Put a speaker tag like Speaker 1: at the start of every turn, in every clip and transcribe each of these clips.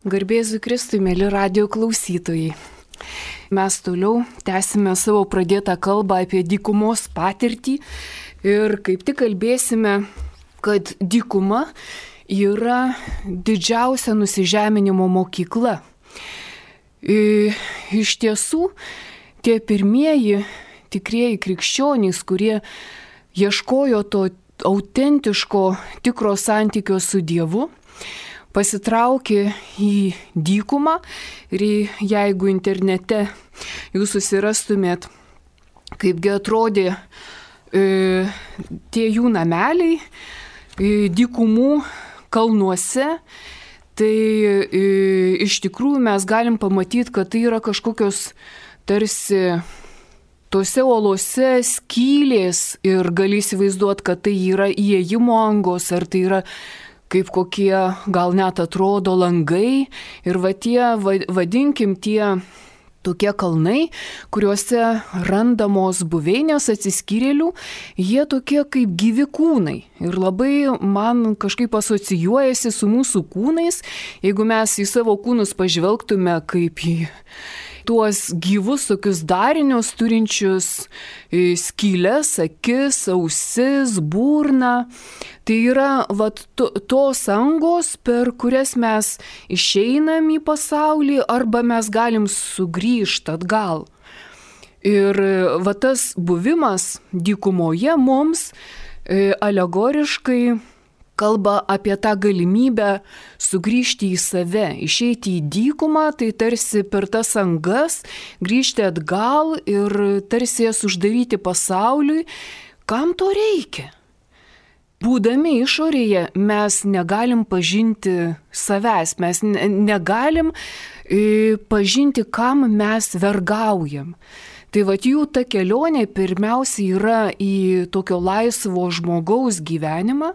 Speaker 1: Garbėzui Kristui, mėly radijo klausytojai. Mes toliau tęsime savo pradėtą kalbą apie dykumos patirtį ir kaip tik kalbėsime, kad dykuma yra didžiausia nusižeminimo mokykla. Iš tiesų, tie pirmieji tikrieji krikščionys, kurie ieškojo to autentiško, tikro santykio su Dievu, pasitraukė į dykumą ir jeigu internete jūs susirastumėt, kaipgi atrodė tie jų nameliai dykumų kalnuose, tai iš tikrųjų mes galim pamatyti, kad tai yra kažkokios tarsi tose uolose skylės ir gali įsivaizduoti, kad tai yra įėjimo angos, ar tai yra kaip kokie gal net atrodo langai ir tie, vadinkim, tie tokie kalnai, kuriuose randamos buveinės atsiskyrėlių, jie tokie kaip gyvi kūnai. Ir labai man kažkaip asocijuojasi su mūsų kūnais, jeigu mes į savo kūnus pažvelgtume kaip į tuos gyvus tokius darinius turinčius skylės, akis, ausis, burną. Tai yra tos angos, per kurias mes išeinam į pasaulį arba mes galim sugrįžti atgal. Ir tas buvimas dykumoje mums alegoriškai kalba apie tą galimybę sugrįžti į save, išeiti į dykumą, tai tarsi per tas angas grįžti atgal ir tarsi jas uždaryti pasauliui. Kam to reikia? Būdami išorėje mes negalim pažinti savęs, mes negalim pažinti, kam mes vergaujam. Tai jų ta kelionė pirmiausia yra į tokio laisvo žmogaus gyvenimą,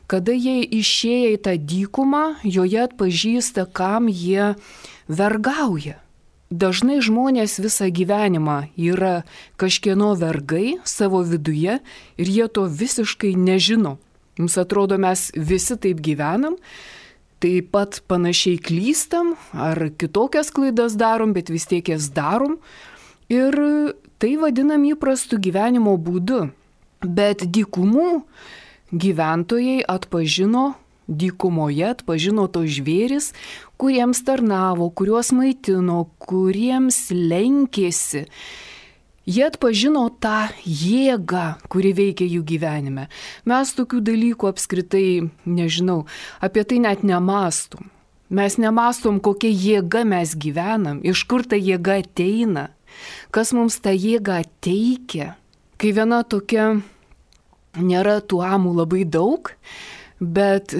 Speaker 1: kada jie išėję į tą dykumą, joje atpažįsta, kam jie vergauja. Dažnai žmonės visą gyvenimą yra kažkieno vergai savo viduje ir jie to visiškai nežino. Mums atrodo, mes visi taip gyvenam, taip pat panašiai klystam ar kitokias klaidas darom, bet vis tiek jas darom. Ir tai vadinam įprastu gyvenimo būdu. Bet dykumų gyventojai dykumoje atpažino tos žvėris, kuriems tarnavo, kuriuos maitino, kuriems lenkėsi. Jie atpažino tą jėgą, kuri veikia jų gyvenime. Mes tokių dalykų apskritai, nežinau, apie tai net nemastom. Mes nemastom, kokia jėga mes gyvenam, iš kur ta jėga ateina, kas mums tą jėgą teikia. Kai viena tokia, nėra tų amų labai daug, bet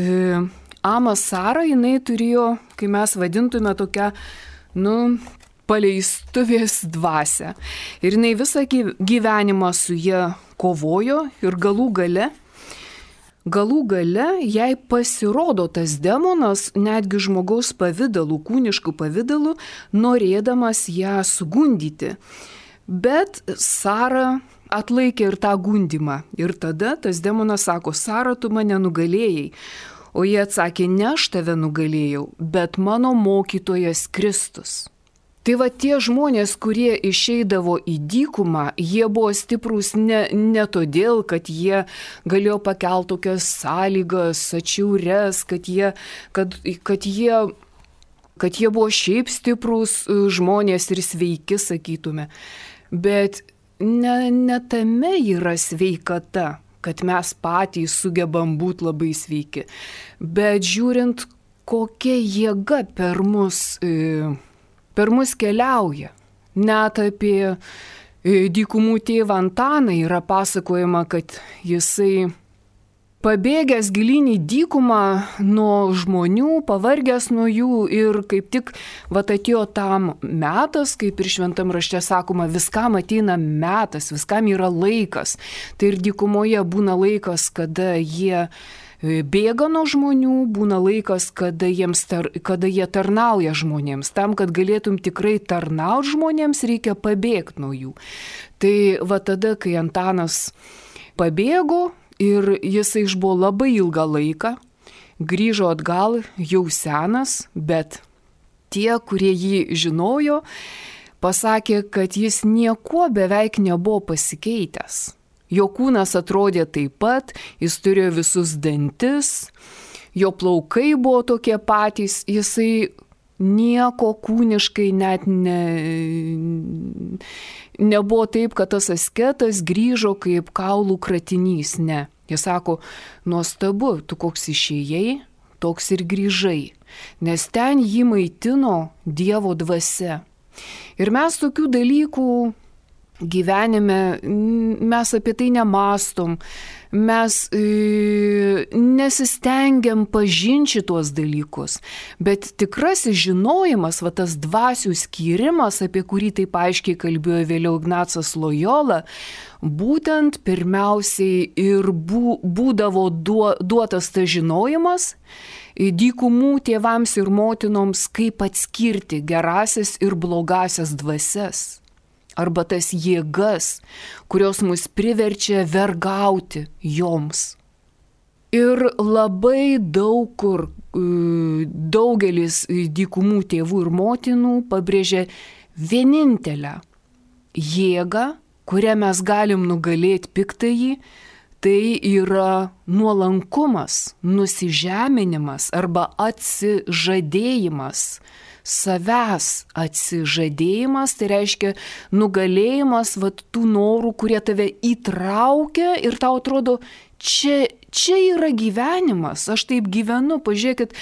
Speaker 1: ama Sara, jinai turėjo, kai mes vadintume tokią, paleistuvės dvasią. Ir jinai visą gyvenimą su jie kovojo ir galų gale jai pasirodo tas demonas, netgi žmogaus pavidalu, kūniškų pavidalu, norėdamas ją sugundyti. Bet Sara atlaikė ir tą gundymą. Ir tada tas demonas sako, Sara, tu mane nugalėjai. O jie atsakė, ne aš tave nugalėjau, bet mano mokytojas Kristus. Tai tie žmonės, kurie išeidavo į dykumą, jie buvo stiprūs ne todėl, kad jie galėjo pakelti tokias sąlygas, atšiaures, kad jie buvo šiaip stiprūs žmonės ir sveiki, sakytume. Bet ne tame yra sveikata, kad mes patys sugebam būti labai sveiki. Bet žiūrint, kokia jėga per mus keliauja. Net apie dykumų tėvą Antaną yra pasakojama, kad jisai pabėgęs gilyn į dykumą nuo žmonių, pavargęs nuo jų ir kaip tik atėjo tam metas, kaip ir šventam rašte sakoma, viskam ateina metas, viskam yra laikas. Tai ir dykumoje būna laikas, kada jie bėga nuo žmonių, būna laikas, kada jie tarnauja žmonėms. Tam, kad galėtum tikrai tarnauti žmonėms, reikia pabėgti nuo jų. Tai tada, kai Antanas pabėgo, ir jisai išbuvo labai ilgą laiką, grįžo atgal jau senas, bet tie, kurie jį žinojo, pasakė, kad jis niekuo beveik nebuvo pasikeitęs. Jo kūnas atrodė taip pat, jis turėjo visus dantis, jo plaukai buvo tokie patys, jisai nieko kūniškai net nebuvo taip, kad tas asketas grįžo kaip kaulų kratinys, ne. Jis sako, nuostabu, tu koks išėjai, toks ir grįžai, nes ten jį maitino Dievo dvasia. Ir mes tokių dalykų gyvenime, mes apie tai nemastom, mes nesistengiam pažinti tuos dalykus, bet tikrasis žinojimas, va tas dvasių skyrimas, apie kurį taip aiškiai kalbėjo vėliau Ignacas Lojola, būtent pirmiausiai ir būdavo duotas tas žinojimas dykumų tėvams ir motinoms, kaip atskirti gerasias ir blogasias dvasias. Arba tas jėgas, kurios mus priverčia vergauti joms. Ir labai daug kur daugelis dykumų tėvų ir motinų pabrėžia vienintelę jėgą, kurią mes galim nugalėti piktąjį, tai yra nuolankumas, nusižeminimas arba atsižadėjimas. Savęs atsižadėjimas, tai reiškia nugalėjimas tų norų, kurie tave įtraukia ir tau atrodo, čia yra gyvenimas, aš taip gyvenu, pažiūrėkit,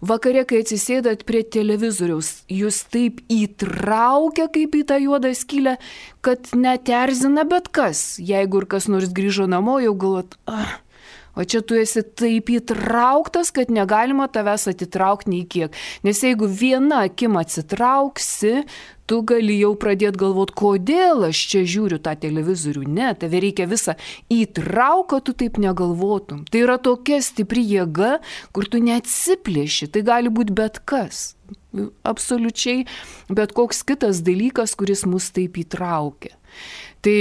Speaker 1: vakare, kai atsisėdat prie televizoriaus, jūs taip įtraukia kaip į tą juodą skylę, kad net erzina bet kas, jeigu ir kas nors grįžo namo, jau galvot, o čia tu esi taip įtrauktas, kad negalima tavęs atitraukti nei kiek. Nes jeigu viena akim atsitrauksi, tu gali jau pradėti galvoti, kodėl aš čia žiūriu tą televizorių. Ne, tave reikia visą įtraukti, kad tu taip negalvotum. Tai yra tokia stipri jėga, kur tu neatsiplėši. Tai gali būti bet kas. Absoliučiai bet koks kitas dalykas, kuris mus taip įtraukia. Tai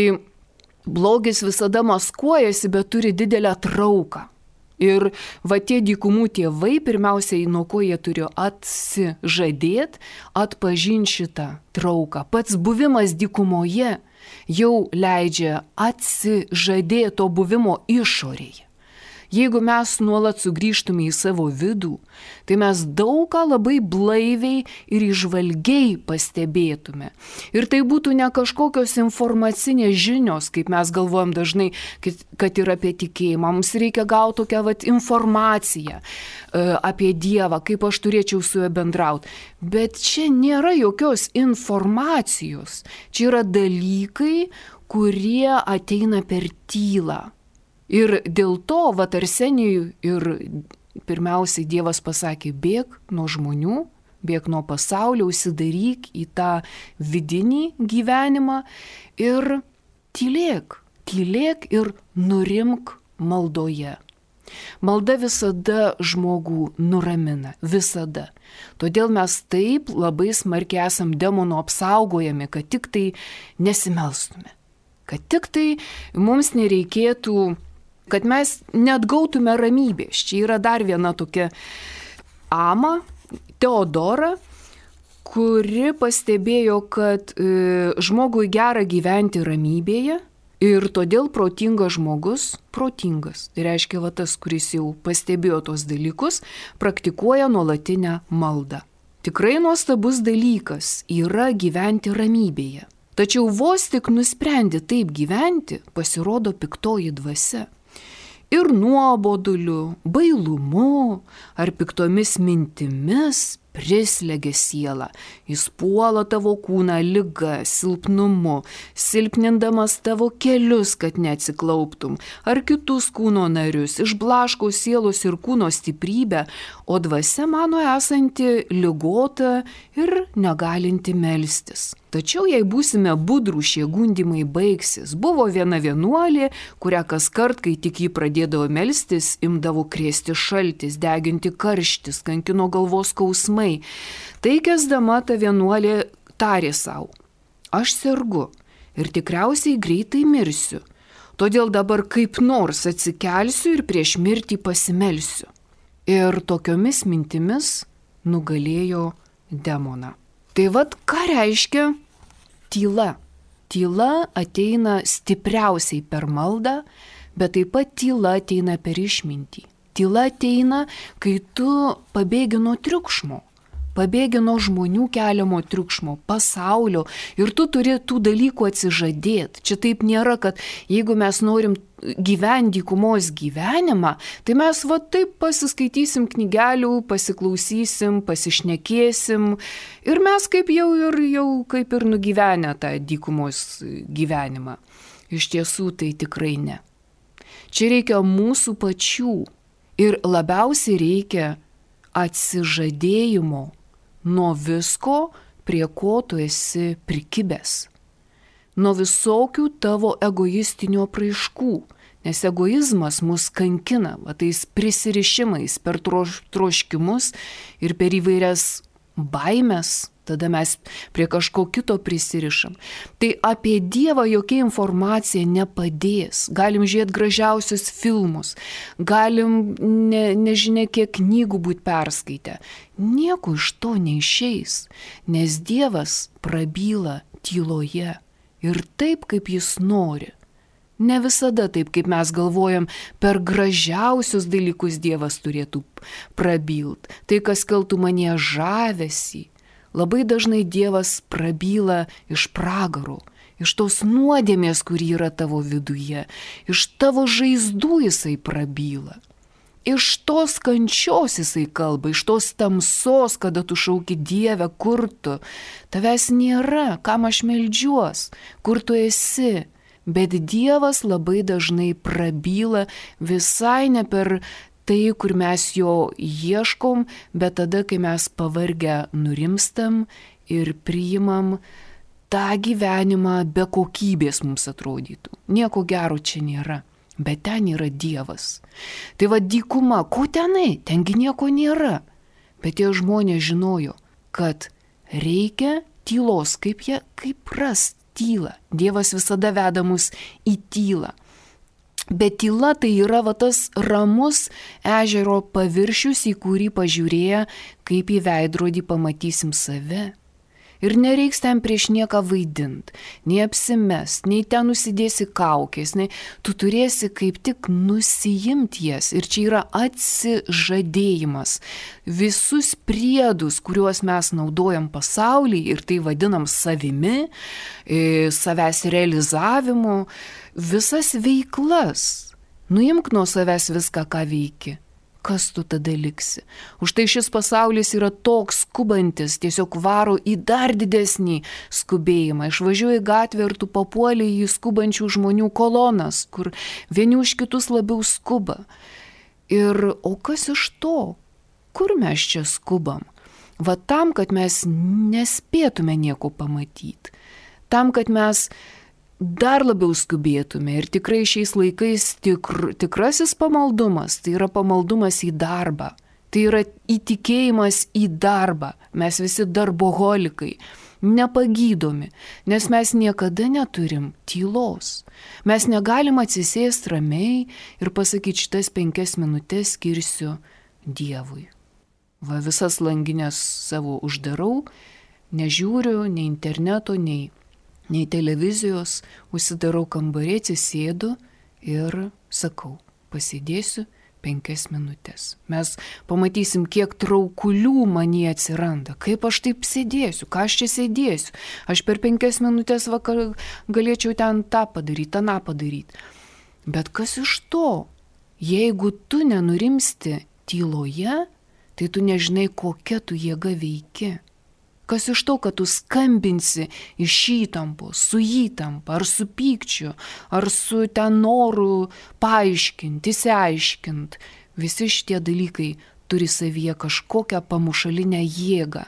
Speaker 1: blogis visada maskuojasi, bet turi didelę trauką. Ir va tie dykumų tėvai, pirmiausiai, nuo ko jie turėjo atsižadėti, atpažinti šitą trauką. Pats buvimas dykumoje jau leidžia atsižadėti to buvimo išorėje. Jeigu mes nuolat sugrįžtume į savo vidų, tai mes daug ką labai blaiviai ir įžvalgiai pastebėtume. Ir tai būtų ne kažkokios informacinės žinios, kaip mes galvojam dažnai, kad yra apie tikėjimą. Mums reikia gauti tokią informaciją apie Dievą, kaip aš turėčiau su juo bendrauti. Bet čia nėra jokios informacijos. Čia yra dalykai, kurie ateina per tylą. Ir dėl to, Arsenijui ir pirmiausiai Dievas pasakė, bėk nuo žmonių, bėk nuo pasaulio, užsidaryk į tą vidinį gyvenimą ir tylėk ir nurimk maldoje. Malda visada žmogų nuramina, visada. Todėl mes taip labai smarkiai esam demonų apsaugojami, kad tik tai nesimelstume, kad tik tai mums nereikėtų, kad mes neatgautume ramybės. Čia yra dar viena tokia ama, Teodora, kuri pastebėjo, kad žmogui gera gyventi ramybėje ir todėl protingas žmogus, protingas, tai reiškia tas, kuris jau pastebėjo tos dalykus, praktikuoja nuolatinę maldą. Tikrai nuostabus dalykas yra gyventi ramybėje. Tačiau vos tik nusprendi taip gyventi, pasirodo piktoji dvasia. Ir nuoboduliu, bailumu ar piktomis mintimis prislegia sielą. Jis puola tavo kūną liga, silpnumu, silpnindamas tavo kelius, kad neatsiklauptum, ar kitus kūno narius, išblaško sielos ir kūno stiprybę, o dvasia mano esanti ligota ir negalinti melstis. Tačiau jei būsime budrų, šie gundimai baigsis. Buvo viena vienuolė, kurią kas kart, kai tik jį pradėdavo melstis, imdavo krėsti šaltis, deginti karštis, kankino galvos skausmai. Tai kesdama ta vienuolė tarė savo, aš sergu ir tikriausiai greitai mirsiu, todėl dabar kaip nors atsikelsiu ir prieš mirtį pasimelsiu. Ir tokiomis mintimis nugalėjo demoną. Tai vat ką reiškia tyla? Tyla ateina stipriausiai per maldą, bet taip pat tyla ateina per išmintį. Tyla ateina, kai tu pabėgi nuo triukšmo, pabėgi nuo žmonių keliamo triukšmo, pasaulio ir tu turi tų dalykų atsižadėti. Čia taip nėra, kad jeigu mes norim gyventi dykumos gyvenimą, tai mes va taip pasiskaitysim knygelių, pasiklausysim, pasišnekėsim ir mes kaip jau kaip ir nugyvenę tą dykumos gyvenimą. Iš tiesų tai tikrai ne. Čia reikia mūsų pačių ir labiausiai reikia atsižadėjimo nuo visko, prie ko tu esi prikibęs. Nuo visokių tavo egoistinių apraiškų, nes egoizmas mus kankina, va, tais prisirišimais per troškimus ir per įvairias baimės, tada mes prie kažko kito prisirišam. Tai apie Dievą jokia informacija nepadės. Galim žiūrėti gražiausius filmus, galim nežinia kiek knygų būti perskaitę. Nieko iš to neišeis, nes Dievas prabyla tyloje ir taip, kaip jis nori. Ne visada taip, kaip mes galvojam, per gražiausius dalykus Dievas turėtų prabylt. Tai, kas keltų manyje žavesį. Labai dažnai Dievas prabyla iš pragaro, iš tos nuodėmės, kuri yra tavo viduje, iš tavo žaizdų jisai prabyla. Iš tos kančios jisai kalba, iš tos tamsos, kada tu šauki Dievę, kur tu. Tavęs nėra, kam aš meldžiuos, kur tu esi. Bet Dievas labai dažnai prabyla visai ne per tai, kur mes jo ieškom, bet tada, kai mes pavargę nurimstam ir priimam tą gyvenimą be kokybės mums atrodytų. Nieko gero čia nėra, bet ten yra Dievas. Tai va dykuma, ko tenai? Tengi nieko nėra. Bet tie žmonės žinojo, kad reikia tylos, kaip rast tylą. Dievas visada veda mus į tylą. Bet tyla tai yra va tas ramus ežero paviršius, į kurį pažiūrėję, kaip į veidrodį pamatysim save. Ir nereiks ten prieš nieką vaidint, nei apsimest, nei ten nusidėsi kaukės, nei tu turėsi kaip tik nusiimti jas. Ir čia yra atsižadėjimas. Visus priedus, kuriuos mes naudojam pasaulyje ir tai vadinam savimi, savęs realizavimu, visas veiklas. Nuimk nuo savęs viską, ką veiki. Kas tu tada liksi? Už tai šis pasaulis yra toks skubantis, tiesiog varo į dar didesnį skubėjimą. Išvažiuoji gatvę ir tu papuoli į skubančių žmonių kolonas, kur vieni už kitus labiau skuba. Ir o kas iš to? Kur mes čia skubam? Va tam, kad mes nespėtume nieko pamatyti. Tam, kad mes dar labiau skubėtume ir tikrai šiais laikais tikrasis pamaldumas, tai yra pamaldumas į darbą, tai yra įtikėjimas į darbą. Mes visi darboholikai, nepagydomi, nes mes niekada neturim tylos. Mes negalim atsisėsti ramiai ir pasakyti, šitas 5 minutės skirsiu Dievui. Va visas langinės savo uždarau, nežiūriu nei interneto, nei televizijos, užsidarau kambarį, atsisėdu ir sakau, pasėdėsiu 5 minutės. Mes pamatysim, kiek traukulių manyje atsiranda. Kaip aš taip sėdėsiu, ką aš čia sėdėsiu. Aš per 5 minutės galėčiau ten tą padaryti, tą padaryti. Bet kas iš to? Jeigu tu nenurimsti tyloje, tai tu nežinai, kokia tu jėga veiki. Kas iš to, kad tu skambinsi iš įtampos, su įtampa, ar su pykčiu, ar su ten noru paaiškinti, įsiaiškinti. Visi šitie dalykai turi savyje kažkokią pamušalinę jėgą.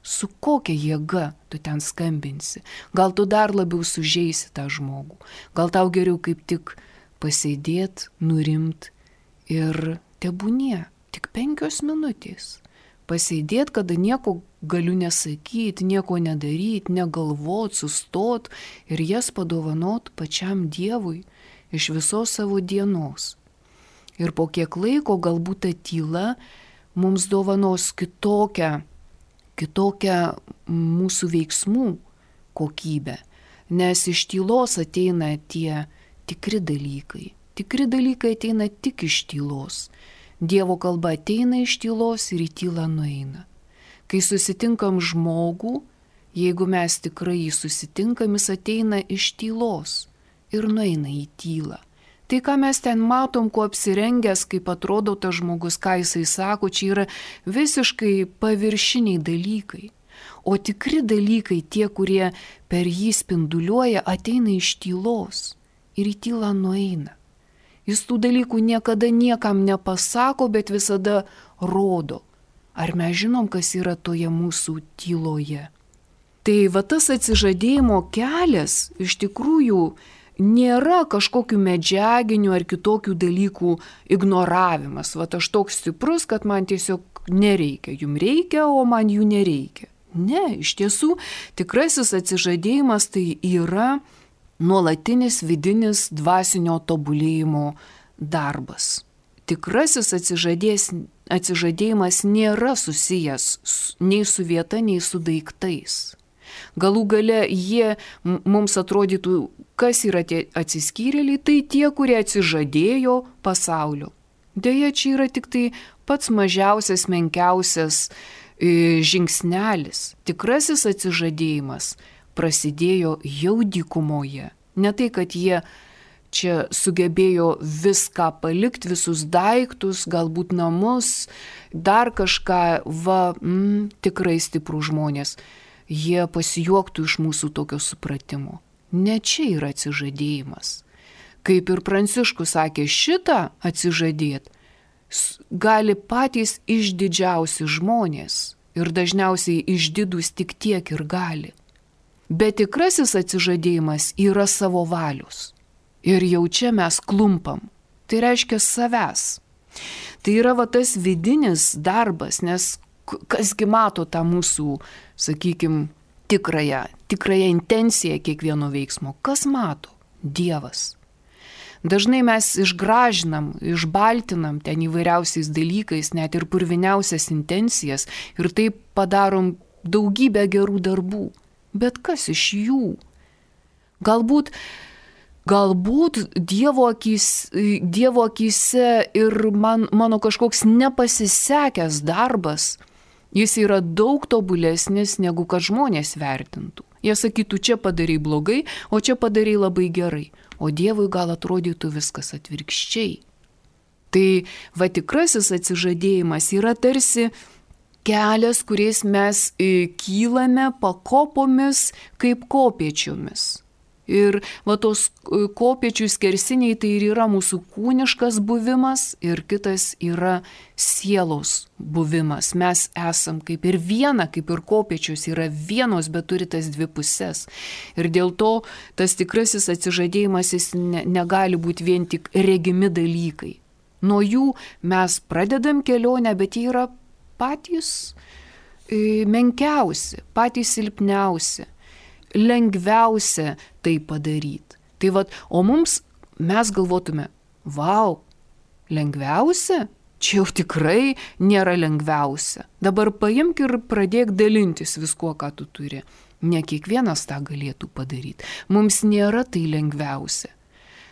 Speaker 1: Su kokia jėga tu ten skambinsi? Gal tu dar labiau sužeisi tą žmogų? Gal tau geriau kaip tik pasėdėti, nurimt ir tebūnie, tik 5 minutės. Pasėdėti, kada nieko galiu nesakyti, nieko nedaryti, negalvot, sustot ir jas padovanot pačiam Dievui iš visos savo dienos. Ir po kiek laiko galbūt ta tyla mums dovanos kitokią kitokią mūsų veiksmų kokybę, nes iš tylos ateina tie tikri dalykai. Tikri dalykai ateina tik iš tylos. Dievo kalba ateina iš tylos ir į tylą nueina. Kai susitinkam žmogų, jeigu mes tikrai jį susitinkam, jis ateina iš tylos ir nueina į tylą. Tai, ką mes ten matom, kuo apsirengęs, kaip atrodo tas žmogus, ką jisai sako, čia yra visiškai paviršiniai dalykai. O tikri dalykai, tie, kurie per jį spinduliuoja, ateina iš tylos ir į tylą nueina. Jis tų dalykų niekada niekam nepasako, bet visada rodo. Ar mes žinom, kas yra toje mūsų tyloje? Tai va tas atsižadėjimo kelias iš tikrųjų nėra kažkokių medžiaginių ar kitokių dalykų ignoravimas. Vat aš toks stiprus, kad man tiesiog nereikia. Jums reikia, o man jų nereikia. Ne, iš tiesų, tikrasis atsižadėjimas tai yra nuolatinis vidinis dvasinio tobulėjimo darbas. Tikrasis atsižadėjimas nėra susijęs nei su vieta, nei su daiktais. Galų gale jie mums atrodytų, kas yra tie atsiskyrėliai, tai tie, kurie atsižadėjo pasaulio. Deja, čia yra tik tai pats mažiausias, menkiausias žingsnelis. Tikrasis atsižadėjimas prasidėjo jau dykumoje. Ne tai, kad jie čia sugebėjo viską palikti, visus daiktus, galbūt namus, dar kažką, tikrai stiprų žmonės. Jie pasijuoktų iš mūsų tokio supratimo. Ne čia yra atsižadėjimas. Kaip ir Pranciškus sakė, šitą atsižadėt gali patys išdidžiausi žmonės ir dažniausiai išdidus tik tiek ir gali. Bet tikrasis atsižadėjimas yra savo valios. Ir jau čia mes klumpam. Tai reiškia savęs. Tai yra va tas vidinis darbas, nes kasgi mato tą mūsų, sakykime, tikrąją intenciją kiekvieno veiksmo. Kas mato? Dievas. Dažnai mes išgražinam, išbaltinam ten įvairiausiais dalykais, net ir purviniausias intencijas ir taip padarom daugybę gerų darbų. Bet kas iš jų? Galbūt Dievo akyse ir mano kažkoks nepasisekęs darbas, jis yra daug tobulesnis, negu kad žmonės vertintų. Jie sakytų, čia padarai blogai, o čia padarai labai gerai. O Dievui gal atrodytų viskas atvirkščiai. Tai va tikrasis atsižadėjimas yra tarsi kelias, kuriais mes kylame pakopomis kaip kopėčiomis. Ir va tos kopėčių skersiniai tai ir yra mūsų kūniškas buvimas ir kitas yra sielos buvimas. Mes esam kaip ir viena, kaip ir kopėčios yra vienos, bet turi tas dvi pusės. Ir dėl to tas tikrasis atsižadėjimas jis negali būti vien tik regimi dalykai. Nuo jų mes pradedam kelionę, bet jie yra patys menkiausi, patys silpniausi. Lengviausia tai padaryti. Tai vat, o mes galvotume, vau, lengviausia? Čia jau tikrai nėra lengviausia. Dabar paimk ir pradėk dalintis viskuo, ką tu turi. Ne kiekvienas tą galėtų padaryti. Mums nėra tai lengviausia.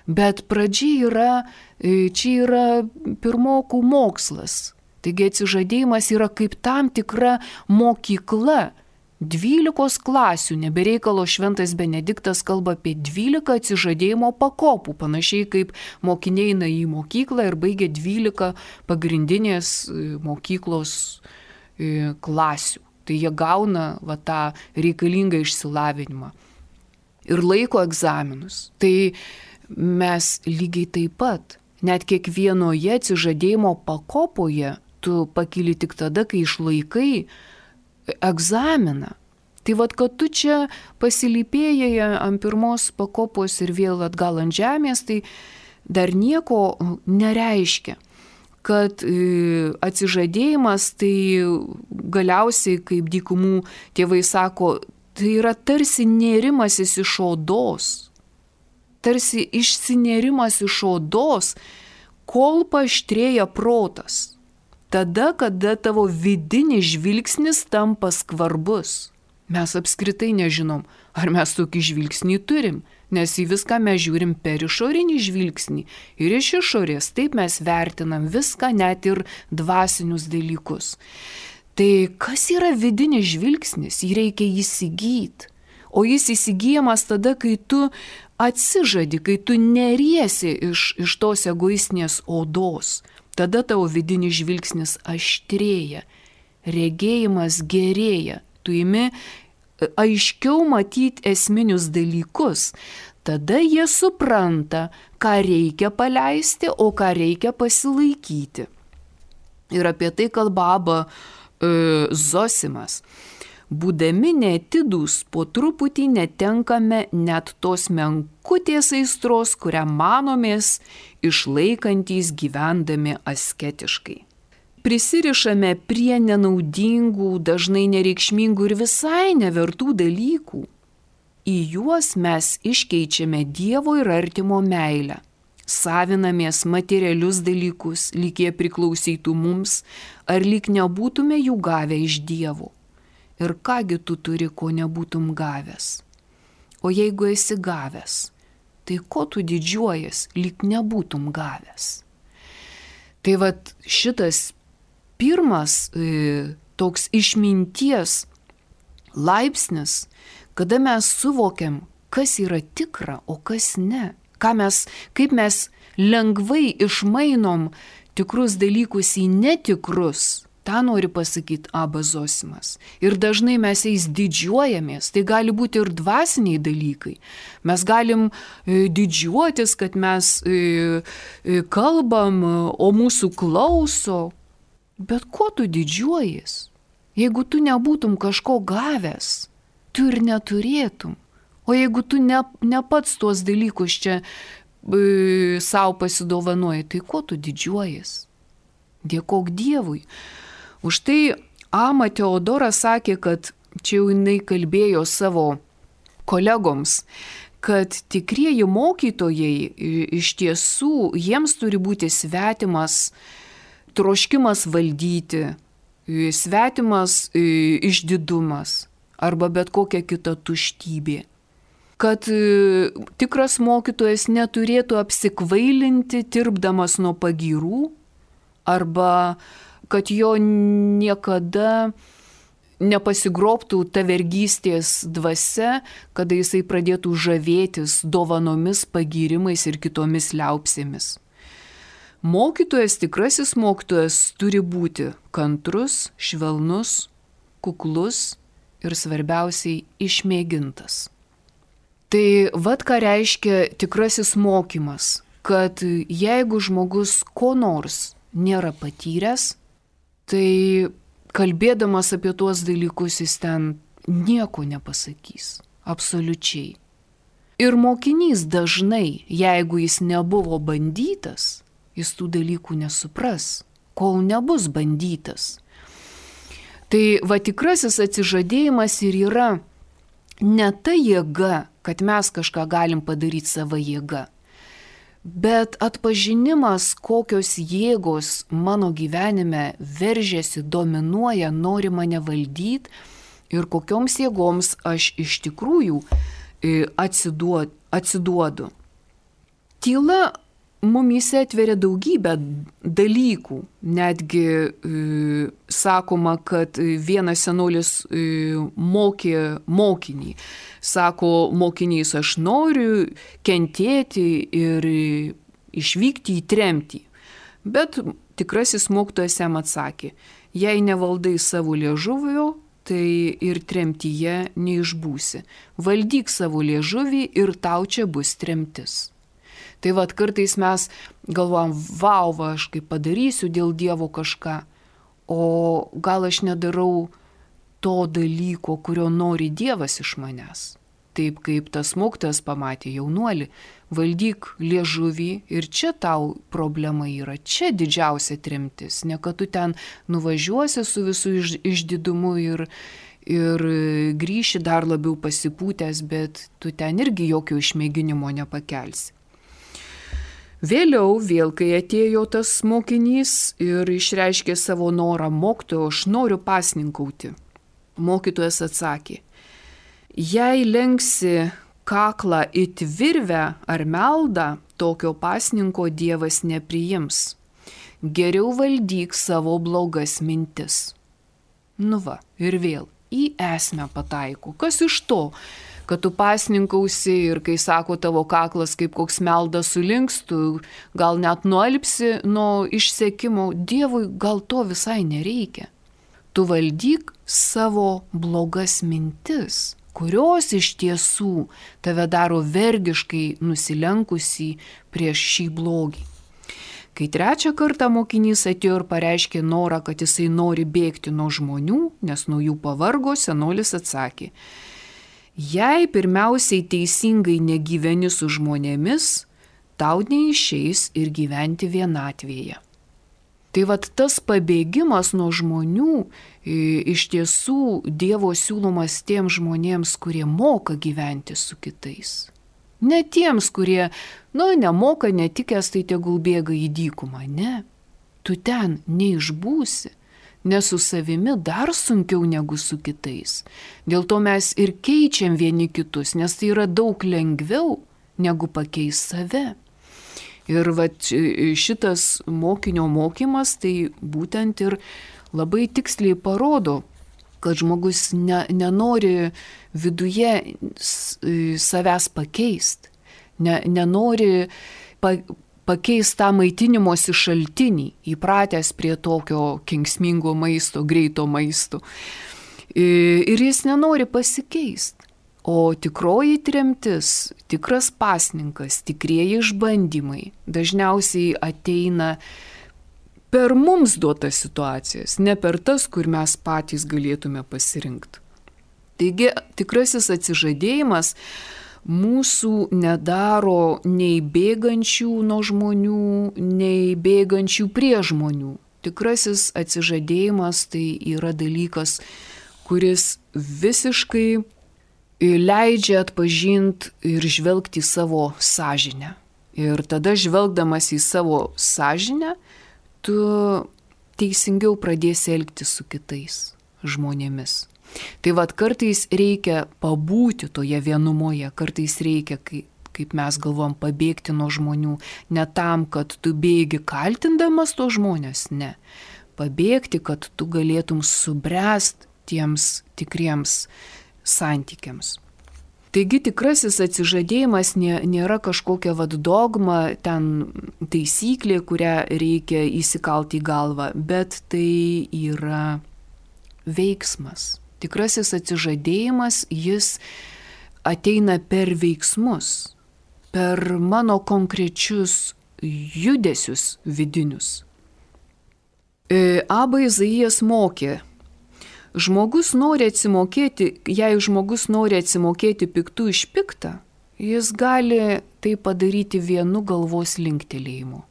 Speaker 1: Bet pradžia čia yra pirmokų mokslas. Taigi atsižadėjimas yra kaip tam tikra mokykla. 12 klasių, nebereikalo šventas Benediktas kalba apie 12 atsižadėjimo pakopų, panašiai kaip mokiniai eina į mokyklą ir baigia 12 pagrindinės mokyklos klasių. Tai jie gauna va, tą reikalingą išsilavinimą ir laiko egzaminus. Tai mes lygiai taip pat, net kiekvienoje atsižadėjimo pakopoje tu pakyli tik tada, kai išlaikai egzaminą. Tai vad, kad tu čia pasilypėjai ant pirmos pakopos ir vėl atgal ant žemės, tai dar nieko nereiškia. Kad atsižadėjimas tai galiausiai, kaip dykumų tėvai sako, tai yra tarsi nėrimasis iš odos. Tarsi išsinėrimas iš odos, kol paaštrėja protas. tada, kada tavo vidinis žvilgsnis tampa skvarbus. Mes apskritai nežinom, ar mes tokį žvilgsnį turim, nes į viską mes žiūrim per išorinį žvilgsnį ir iš išorės. Taip mes vertinam viską, net ir dvasinius dalykus. Tai kas yra vidinis žvilgsnis? Jį reikia įsigyti. O jis įsigyjamas tada, kai tu atsižadi, kai tu neriesi iš tos egoistinės odos. Tada tavo vidinis žvilgsnis aštrėja, regėjimas gerėja. Tu imi aiškiau matyti esminius dalykus. Tada jie supranta, ką reikia paleisti, o ką reikia pasilaikyti. Ir apie tai kalba Abba Zosimas. Būdami neatidūs, po truputį netenkame net tos menkutės aistros, kurią manomės išlaikantys gyvendami asketiškai. Prisirišame prie nenaudingų, dažnai nereikšmingų ir visai nevertų dalykų. Į juos mes iškeičiame Dievo ir artimo meilę. Savinamės materialius dalykus, lyg jie priklausytų mums, ar lyg nebūtume jų gavę iš Dievo. Ir kągi tu turi, ko nebūtum gavęs? O jeigu esi gavęs, tai ko tu didžiuojas, lyg nebūtum gavęs? Tai vat šitas pirmas toks išminties laipsnis, kada mes suvokiam, kas yra tikra, o kas ne. Kaip mes lengvai išmainom tikrus dalykus į netikrus. Ta nori pasakyti Abba Zosimas. Ir dažnai mes jais didžiuojamės. Tai gali būti ir dvasiniai dalykai. Mes galim didžiuotis, kad mes kalbam, o mūsų klauso. Bet ko tu didžiuojies? Jeigu tu nebūtum kažko gavęs, tu ir neturėtum. O jeigu tu ne pats tuos dalykus čia savo pasidovanoji, tai ko tu didžiuojies? Dėkok Dievui. Už tai Ama Teodora sakė, kad čia jau jinai kalbėjo savo kolegoms, kad tikrieji mokytojai iš tiesų jiems turi būti svetimas troškimas valdyti, svetimas išdidumas arba bet kokia kita tuštybė. Kad tikras mokytojas neturėtų apsikvailinti, tirpdamas nuo pagyrų, arba kad jo niekada nepasigrobtų ta vergystės dvasia, kada jisai pradėtų žavėtis dovanomis, pagyrimais ir kitomis liaupsėmis. Mokytojas, tikrasis mokytojas turi būti kantrus, švelnus, kuklus ir svarbiausiai išmėgintas. Tai vat ką reiškia tikrasis mokymas, kad jeigu žmogus ko nors nėra patyręs, tai kalbėdamas apie tuos dalykus jis ten nieko nepasakys, absoliučiai. Ir mokinys dažnai, jeigu jis nebuvo bandytas, jis tų dalykų nesupras, kol nebus bandytas. Tai va tikrasis atsižadėjimas ir yra ne ta jėga, kad mes kažką galim padaryti savo jėga, bet atpažinimas, kokios jėgos mano gyvenime veržiasi, dominuoja, nori mane valdyti ir kokioms jėgoms aš iš tikrųjų atsiduodu. Tyla mumyse atveria daugybę dalykų. Netgi sakoma, kad vienas senolis mokė mokinį. Sako mokinys, aš noriu kentėti ir išvykti į tremtį. Bet tikrasis mokytojas jam atsakė, jei nevaldai savo liežuvio, tai ir tremtyje neišbūsi. Valdyk savo liežuvį ir tau čia bus tremtis. Tai vat kartais mes galvojam, vau, aš kaip padarysiu dėl Dievo kažką, o gal aš nedarau to dalyko, kurio nori Dievas iš manęs. Taip kaip tas mokytojas pamatė jaunuolį, valdyk liežuvį ir čia tau problema yra, čia didžiausia tremtis, ne kad tu ten nuvažiuosi su visų išdidumu ir grįši dar labiau pasipūtęs, bet tu ten irgi jokio išmėginimo nepakelsi. Vėliau, kai atėjo tas mokinys ir išreiškė savo norą, mokytojo, aš noriu pasninkauti. Mokytojas atsakė, jei lenksi kaklą it virvę ar meldą, tokio pasninko Dievas nepriims. Geriau valdyk savo blogas mintis. Nu va, ir vėl į esmę pataiko. Kas iš to, kad tu pasninkausi ir kai sako tavo kaklas kaip koks meldas sulinks, tu gal net nualpsi nuo išsekimo, Dievui gal to visai nereikia. Tu valdyk savo blogas mintis, kurios iš tiesų tave daro vergiškai nusilenkusį prieš šį blogį. Kai trečią kartą mokinys atėjo ir pareiškė norą, kad jisai nori bėgti nuo žmonių, nes nuo jų pavargo, senolis atsakė, jei pirmiausiai teisingai negyveni su žmonėmis, tau neišeis ir gyventi vienatvėje. Tai vat tas pabėgimas nuo žmonių iš tiesų Dievo siūlomas tiems žmonėms, kurie moka gyventi su kitais. Ne tiems, kurie, nemoka, netikęs, tai tegul bėga į dykumą. Ne, tu ten neišbūsi, nes su savimi dar sunkiau negu su kitais. Dėl to mes ir keičiam vieni kitus, nes tai yra daug lengviau negu pakeisti save. Ir šitas mokinio mokymas tai būtent ir labai tiksliai parodo, kad žmogus nenori viduje savęs pakeisti, nenori pakeisti tą maitinimosi šaltinį, įpratęs prie tokio kenksmingo maisto, greito maisto. Ir jis nenori pasikeisti. O tikroji tremtis, tikras pasninkas, tikrieji išbandymai dažniausiai ateina per mums duotas situacijas, ne per tas, kur mes patys galėtume pasirinkti. Taigi tikrasis atsižadėjimas mūsų nedaro nei bėgančių nuo žmonių, nei bėgančių prie žmonių. Tikrasis atsižadėjimas tai yra dalykas, kuris visiškai leidžia atpažinti ir žvelgti į savo sąžinę. Ir tada žvelgdamas į savo sąžinę, tu teisingiau pradėsi elgtis su kitais žmonėmis. Tai kartais reikia pabūti toje vienumoje, kartais reikia, kaip mes galvom, pabėgti nuo žmonių. Ne tam, kad tu bėgi kaltindamas to žmonės, ne. Pabėgti, kad tu galėtum subręsti tiems tikriems santykiams. Taigi tikrasis atsižadėjimas nėra kažkokia dogma, ten taisyklė, kurią reikia įsikalti į galvą, bet tai yra veiksmas. Tikrasis atsižadėjimas, jis ateina per veiksmus, per mano konkrečius judesius vidinius. Abba Izaijas mokė, jei žmogus nori atsimokėti piktų iš piktą, jis gali tai padaryti vienu galvos linktelėjimu.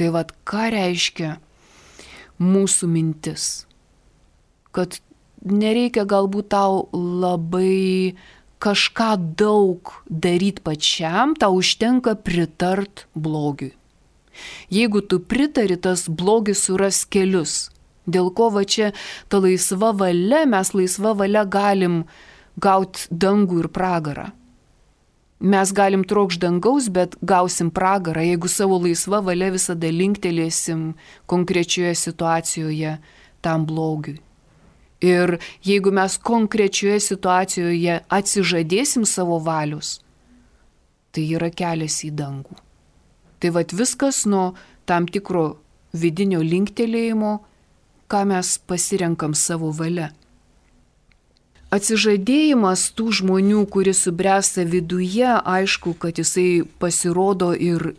Speaker 1: Tai ką reiškia mūsų mintis? Kad nereikia galbūt tau labai kažką daug daryti pačiam, tau užtenka pritart blogiui. Jeigu tu pritari, tas blogis suras kelius. Dėl ko čia ta laisva valia, mes laisva valia galim gauti dangų ir pragarą. Mes galim trokšti dangaus, bet gausim pragarą, jeigu savo laisva valia visada linktelėsim konkrečioje situacijoje tam blogiui. Ir jeigu mes konkrečioje situacijoje atsižadėsim savo valios, tai yra kelias į dangų. Tai viskas nuo tam tikro vidinio linktelėjimo, ką mes pasirenkam savo valia. Atsižadėjimas tų žmonių, kuris subręsta viduje, aišku, kad jisai pasirodo ir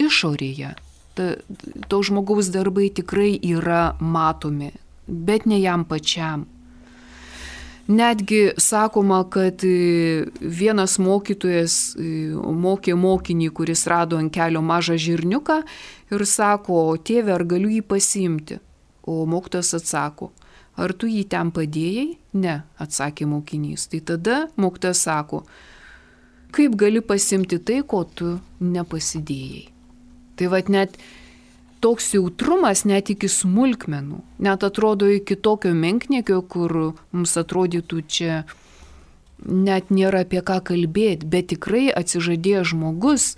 Speaker 1: išorėje. To žmogaus darbai tikrai yra matomi, bet ne jam pačiam. Netgi sakoma, kad vienas mokytojas mokė mokinį, kuris rado ant kelio mažą žirniuką ir sako, tėve, ar galiu jį pasiimti? O mokytojas atsako, ar tu jį ten padėjai? Ne, atsakė mokinys. Tai tada mokytojas sako, kaip gali pasimti tai, ko tu nepasidėjai. Tai vat net toks jautrumas net iki smulkmenų, net atrodo iki tokio menkniekio, kur mums atrodytų čia net nėra apie ką kalbėti, bet tikrai atsižadėjęs žmogus,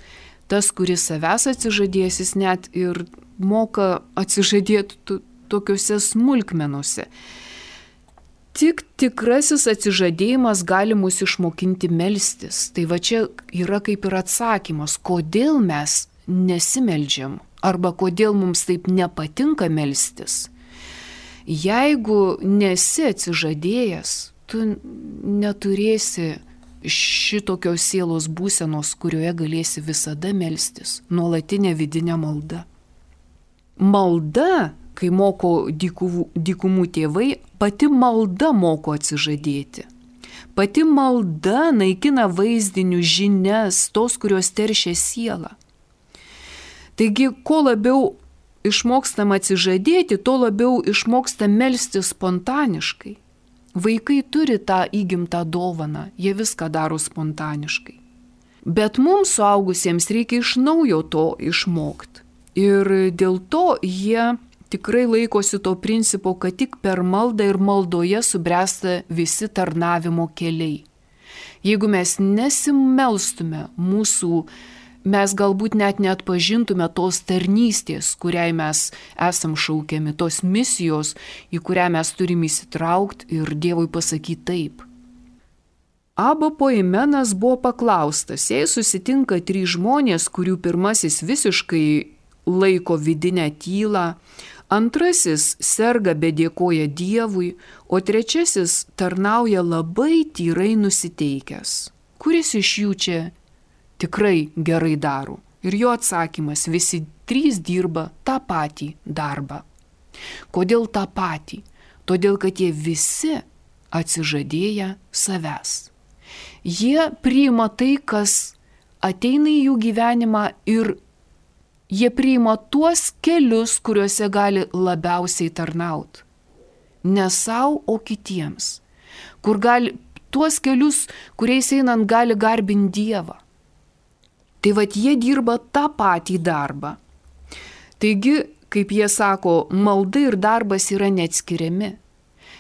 Speaker 1: tas, kuris savęs atsižadėjęs, jis net ir moka atsižadėti tokiuose smulkmenuose. Tik tikrasis atsižadėjimas gali mus išmokinti melstis. Tai va čia yra kaip ir atsakymas, kodėl mes nesimeldžiam arba kodėl mums taip nepatinka melstis. Jeigu nesi atsižadėjęs, tu neturėsi šitokios sielos būsenos, kurioje galėsi visada melstis, nuolatinė vidinė malda. Malda, kai moko dykumų tėvai, pati malda moko atsižadėti. Pati malda naikina vaizdinių žinias, tos, kurios teršia sielą. Taigi, kuo labiau išmokstam atsižadėti, tuo labiau išmokstam melstis spontaniškai. Vaikai turi tą įgimtą dovaną, jie viską daro spontaniškai. Bet mums suaugusiems reikia iš naujo to išmokti. Ir dėl to jie tikrai laikosi to principo, kad tik per maldą ir maldoje subręsta visi tarnavimo keliai. Jeigu mes nesimelstume, mes galbūt net neatpažintume tos tarnystės, kuriai mes esam šaukiami, tos misijos, į kurią mes turime įsitraukti ir Dievui pasakyti taip. Abo Poimenas buvo paklaustas, jei susitinka 3 žmonės, kurių pirmasis visiškai laiko vidinę tylą, antrasis serga bet dėkoja Dievui, o trečiasis tarnauja labai tyrai nusiteikęs. Kuris iš jų čia tikrai gerai daro? Ir jo atsakymas, visi 3 dirba tą patį darbą. Kodėl tą patį? Todėl, kad jie visi atsižadėję savęs. Jie priima tai, kas ateina į jų gyvenimą ir jie priima tuos kelius, kuriuose gali labiausiai tarnauti. Ne savo, o kitiems. Tuos kelius, kuriais einant gali garbinti Dievą. Tai vat jie dirba tą patį darbą. Taigi, kaip jie sako, malda ir darbas yra neatskiriami.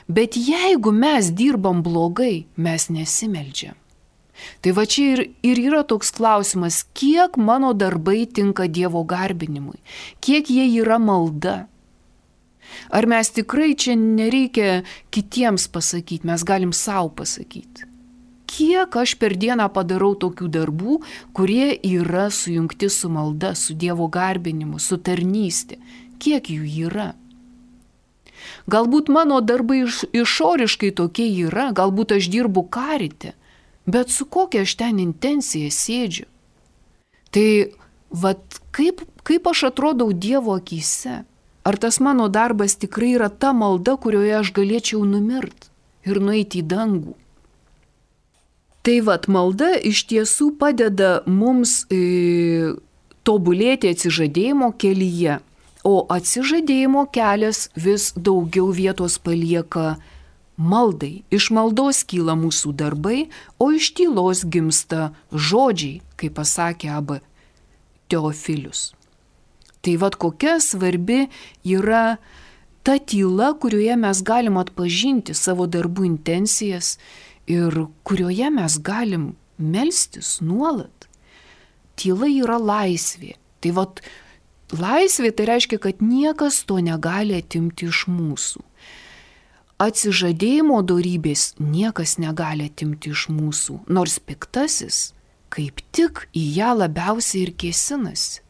Speaker 1: Bet jeigu mes dirbam blogai, mes nesimeldžiam. Tai va čia ir yra toks klausimas, kiek mano darbai tinka Dievo garbinimui, kiek jie yra malda. Ar mes tikrai čia nereikia kitiems pasakyti, mes galim savo pasakyti. Kiek aš per dieną padarau tokių darbų, kurie yra sujungti su malda, su Dievo garbinimu, su tarnystė. Kiek jų yra? Galbūt mano darbai išoriškai tokie yra, galbūt aš dirbu karite, bet su kokia aš ten intencija sėdžiu? Tai vat kaip aš atrodau Dievo akyse? Ar tas mano darbas tikrai yra ta malda, kurioje aš galėčiau numirti ir nueiti į dangų? Tai vat malda iš tiesų padeda mums tobulėti atsižadėjimo kelyje, o atsižadėjimo kelias vis daugiau vietos palieka maldai. Iš maldos kyla mūsų darbai, o iš tylos gimsta žodžiai, kaip pasakė Abba Teofilius. Tai vat kokia svarbi yra ta tyla, kurioje mes galim atpažinti savo darbų intencijas ir kurioje mes galim melstis nuolat. Tyla yra laisvė. Tai vat laisvė tai reiškia, kad niekas to negali atimti iš mūsų. Atsižadėjimo dorybės niekas negali atimti iš mūsų, nors piktasis kaip tik į ją labiausiai ir kėsinasi.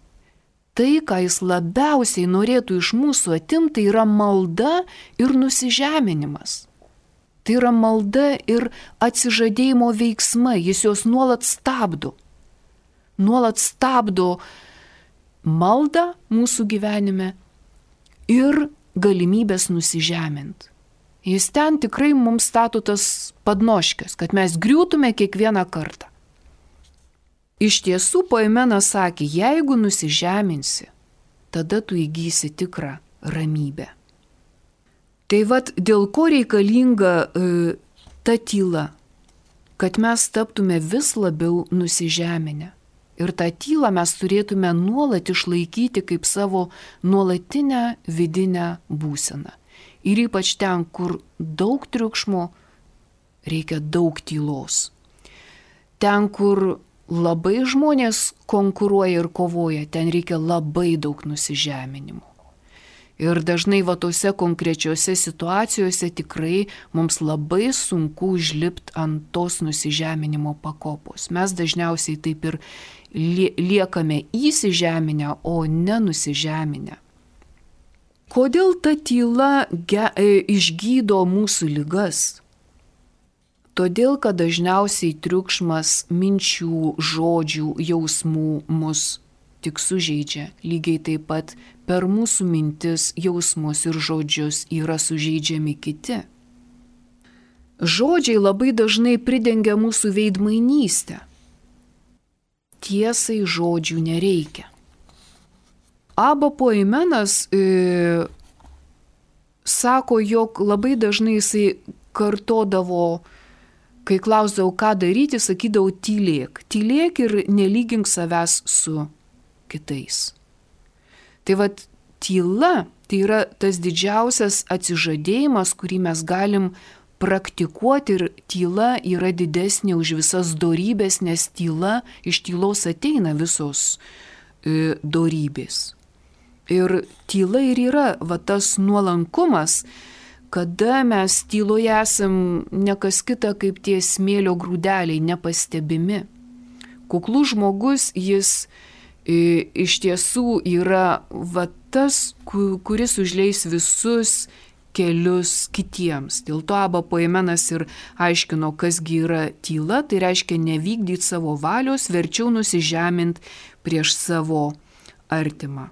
Speaker 1: Tai, ką jis labiausiai norėtų iš mūsų atimti, yra malda ir nusižeminimas. Tai yra malda ir atsižadėjimo veiksmai, jis juos nuolat stabdo. Nuolat stabdo maldą mūsų gyvenime ir galimybės nusižeminti. Jis ten tikrai mums stato tas padnoškės, kad mes griūtume kiekvieną kartą. Iš tiesų, Poimenas sakė, jeigu nusižeminsi, tada tu įgysi tikrą ramybę. Tai vat dėl ko reikalinga ta tyla. kad mes taptume vis labiau nusižeminę. Ir tą tylą mes turėtume nuolat išlaikyti kaip savo nuolatinę vidinę būseną. Ir ypač ten, kur daug triukšmo, reikia daug tylos. Ten, kur labai žmonės konkuruoja ir kovoja, ten reikia labai daug nusižeminimo. Ir dažnai tose konkrečiose situacijose tikrai mums labai sunku užlipti ant tos nusižeminimo pakopos. Mes dažniausiai taip ir liekame įsižeminę, o ne nusižeminę. Kodėl ta tyla išgydo mūsų ligas? Todėl, kad dažniausiai triukšmas minčių, žodžių, jausmų mus tik sužeidžia. Lygiai taip pat per mūsų mintis, jausmus ir žodžius yra sužeidžiami kiti. Žodžiai labai dažnai pridengia mūsų veidmainystę. Tiesai žodžių nereikia. Abba Poimenas sako, jog labai dažnai jisai kartodavo, kai klausdavau, ką daryti, sakydavau tylėk. Tylėk ir nelygink savęs su kitais. Tai tyla, tai yra tas didžiausias atsižadėjimas, kurį mes galim praktikuoti, ir tyla yra didesnė už visas dorybės, nes iš tylos ateina visos dorybės. Ir tyla ir yra tas nuolankumas, kada mes tyloje esam ne kas kita kaip tie smėlio grūdeliai, nepastebimi. Kuklus žmogus, jis iš tiesų yra tas, kuris užleis visus kelius kitiems. Dėl to Abba Poimenas ir aiškino, kasgi yra tyla, tai reiškia nevykdyti savo valios, verčiau nusižemint prieš savo artimą.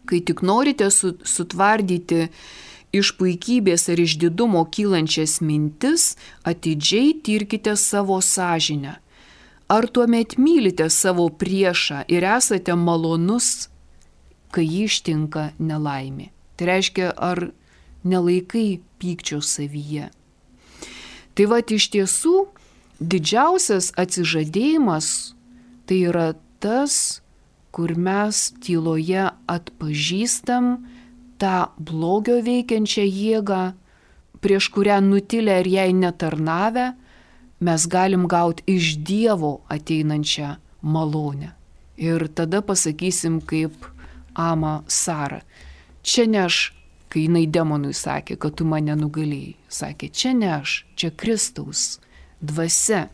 Speaker 1: Kai tik norite sutvardyti iš puikybės ar iš didumo kylančias mintis, atidžiai tirkite savo sąžinę. Ar tuomet mylite savo priešą ir esate malonus, kai jį ištinka nelaimė? Tai reiškia, ar nelaikai pykčio savyje? Tai iš tiesų didžiausias atsižadėjimas tai yra tas, kur mes tyloje atpažįstam tą blogio veikiančią jėgą, prieš kurią nutilę ir jai netarnavę, mes galim gauti iš Dievo ateinančią malonę. Ir tada pasakysim kaip Ama Sara. Čia ne aš, kai jinai demonui sakė, kad tu mane nugalėjai. Sakė, čia ne aš, čia Kristaus dvasia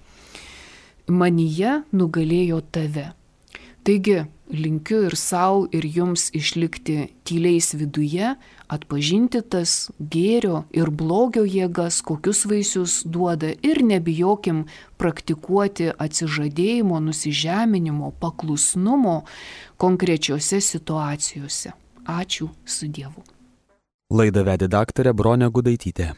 Speaker 1: manyje nugalėjo tave. Taigi, linkiu ir savo, ir jums išlikti tyliais viduje, atpažinti tas gėrio ir blogio jėgas, kokius vaisius duoda, ir nebijokim praktikuoti atsižadėjimo, nusižeminimo, paklusnumo konkrečiose situacijose. Ačiū, su Dievu.
Speaker 2: Laidą vedė daktarė Bronė Gudaitytė.